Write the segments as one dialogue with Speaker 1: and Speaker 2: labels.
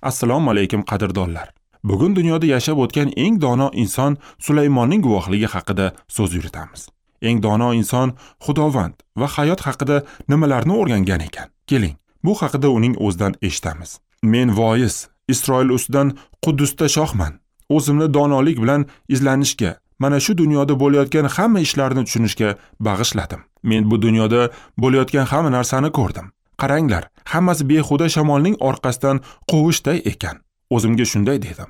Speaker 1: Assalomu alaykum qadrdonlar. Bugun dunyoda yashab o'tgan eng dono inson Sulaymonning guvohligi haqida so'z yuritamiz. Eng dono inson Xudovand va hayot haqida nimalarni o'rgangan ekan? Keling, bu haqida uning o'zidan eshitamiz. Men voiz, Isroil ustidan Quddusda shohman. O'zimni donolik bilan izlanishga, mana shu dunyoda bo'layotgan hamma ishlarni tushunishga bag'ishladim. Men bu dunyoda bo'layotgan hamma narsani ko'rdim. Qaranglar, hammasi behuda shamolning orqasidan quvishday ekan. O'zimga shunday dedim.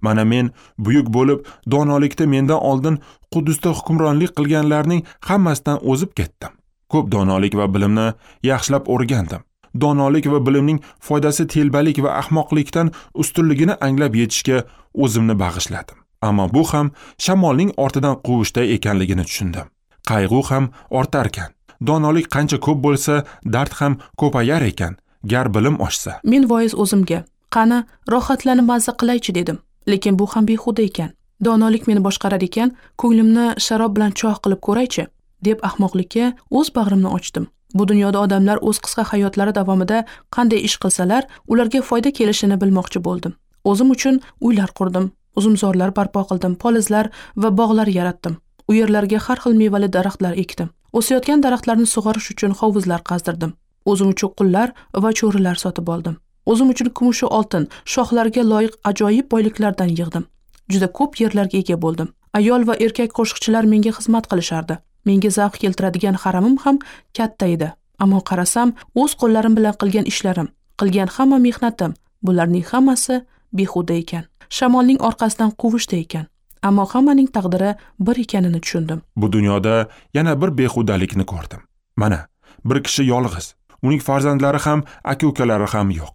Speaker 1: Mana men buyuk bo'lib, donolikda mendan oldin Quddusda hukmronlik qilganlarning hammasidan o'zib ketdim. Ko'p donolik va bilimni yaxshilab o'rgandim. Donolik va bilimning foydasi telbalik va ahmoqlikdan ustunligini anglab yetishga o'zimni bag'ishladim. Ammo bu ham shamolning ortidan quvishday ekanligini tushundim. Qayg'u ham ortarkan. Donolik qancha ko'p bo'lsa, dard ham ko'payar ekan, gar bilim oshsa.
Speaker 2: Men voiz o'zimga, qani rohatlanib mazza qilaychi dedim. Lekin bu ham behuda ekan. Donolik meni boshqarar ekan, ko'nglimni sharob bilan choh qilib ko'raychi, deb ahmoqlikka o'z bag'rimni ochdim. Bu dunyoda odamlar o'z qisqa hayotlari davomida qanday ish qilsalar, ularga foyda kelishini bilmoqchi bo'ldim. O'zim uchun uylar qurdim, uzumzorlar barpo qildim, polizlar va bog'lar yaratdim. U yerlarga har xil mevali daraxtlar ekdim. O'sayotgan daraxtlarni sug'orish uchun hovuzlar qazdirdim. O'zim uchun qullar va cho'rilar sotib oldim. O'zim uchun kumush va oltin, shohlarga loyiq ajoyib boyliklardan yig'dim. Juda ko'p yerlarga ega bo'ldim. Ayol va erkak qo'shiqchilar menga xizmat qilishardi. Menga zavq keltiradigan haramim ham katta edi. Ammo qarasam, o'z qo'llarim bilan qilgan ishlarim, qilgan hamma mehnatim, bularning hammasi behuda ekan. Shamolning orqasidan quvishda ekan. Ammo hammaning taqdiri bir ekanini tushundim.
Speaker 1: Bu dunyoda yana bir behudalikni ko'rdim. Mana, bir kishi yolg'iz. Uning farzandlari ham, aka-ukalari ham yo'q.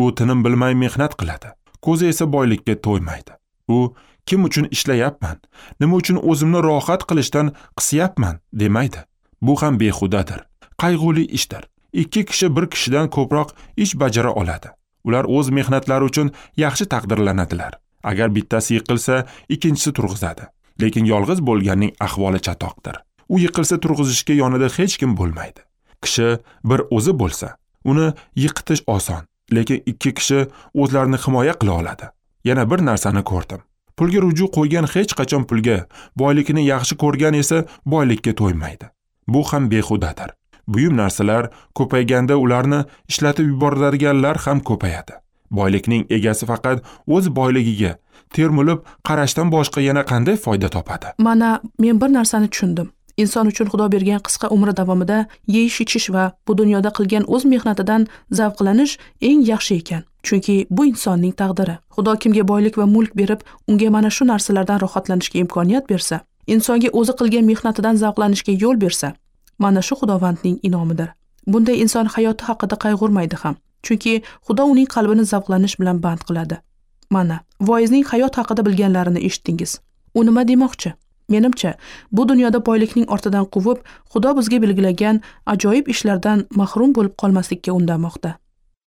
Speaker 1: U tinim bilmay mehnat qiladi. Ko'zi esa boylikka to'ymaydi. U kim uchun ishlayapman, nima uchun o'zimni rohat qilishdan qisyapman demaydi. Bu ham behudadir. Qayg'uli ishdir. Ikki kishi bir kishidan ko'proq ish bajara oladi. Ular o'z mehnatlari uchun yaxshi taqdirlanadilar. Agar bittasi yiqilsa, ikkinchisi turg'izadi. Lekin yolg'iz bo'lganning ahvoli chatoqdir. U yiqilsa turg'izishga yonida hech kim bo'lmaydi. Kishi bir o'zi bo'lsa, uni yiqitish oson, lekin ikki kishi o'zlarini himoya qila oladi. Yana bir narsani ko'rdim. Pulga ruju qo'ygan hech qachon pulga, boylikni yaxshi ko'rgan esa boylikka to'ymaydi. Bu ham behudadir. Buyum narsalar ko'payganda ularni ishlatib yuboradiganlar ham ko'payadi. Boylikning egasi faqat o'z boyligiga termulib qarashdan boshqa yana qanday foyda topadi?
Speaker 2: Mana men bir narsani tushundim. Inson uchun Xudo bergan qisqa umri davomida yeyish, ichish va bu dunyoda qilgan o'z mehnatidan zavqlanish eng yaxshi ekan. Chunki bu insonning taqdiri. Xudo kimga boylik va mulk berib, unga mana shu narsalardan rohatlanishga imkoniyat bersa, insonga o'zi qilgan mehnatidan zavqlanishga yo'l bersa, mana shu Xudovandning inomidir. Bunday inson hayoti haqida qayg'urmaydi ham. Chunki Xudo uning qalbini zavqlanish bilan band qiladi. Mana, voizning hayot haqida bilganlarini eshitdingiz. U nima demoqchi? Menimcha, bu dunyoda boylikning ortidan quvib, Xudo bizga belgilagan ajoyib ishlardan mahrum bo'lib qolmaslikka undamoqda.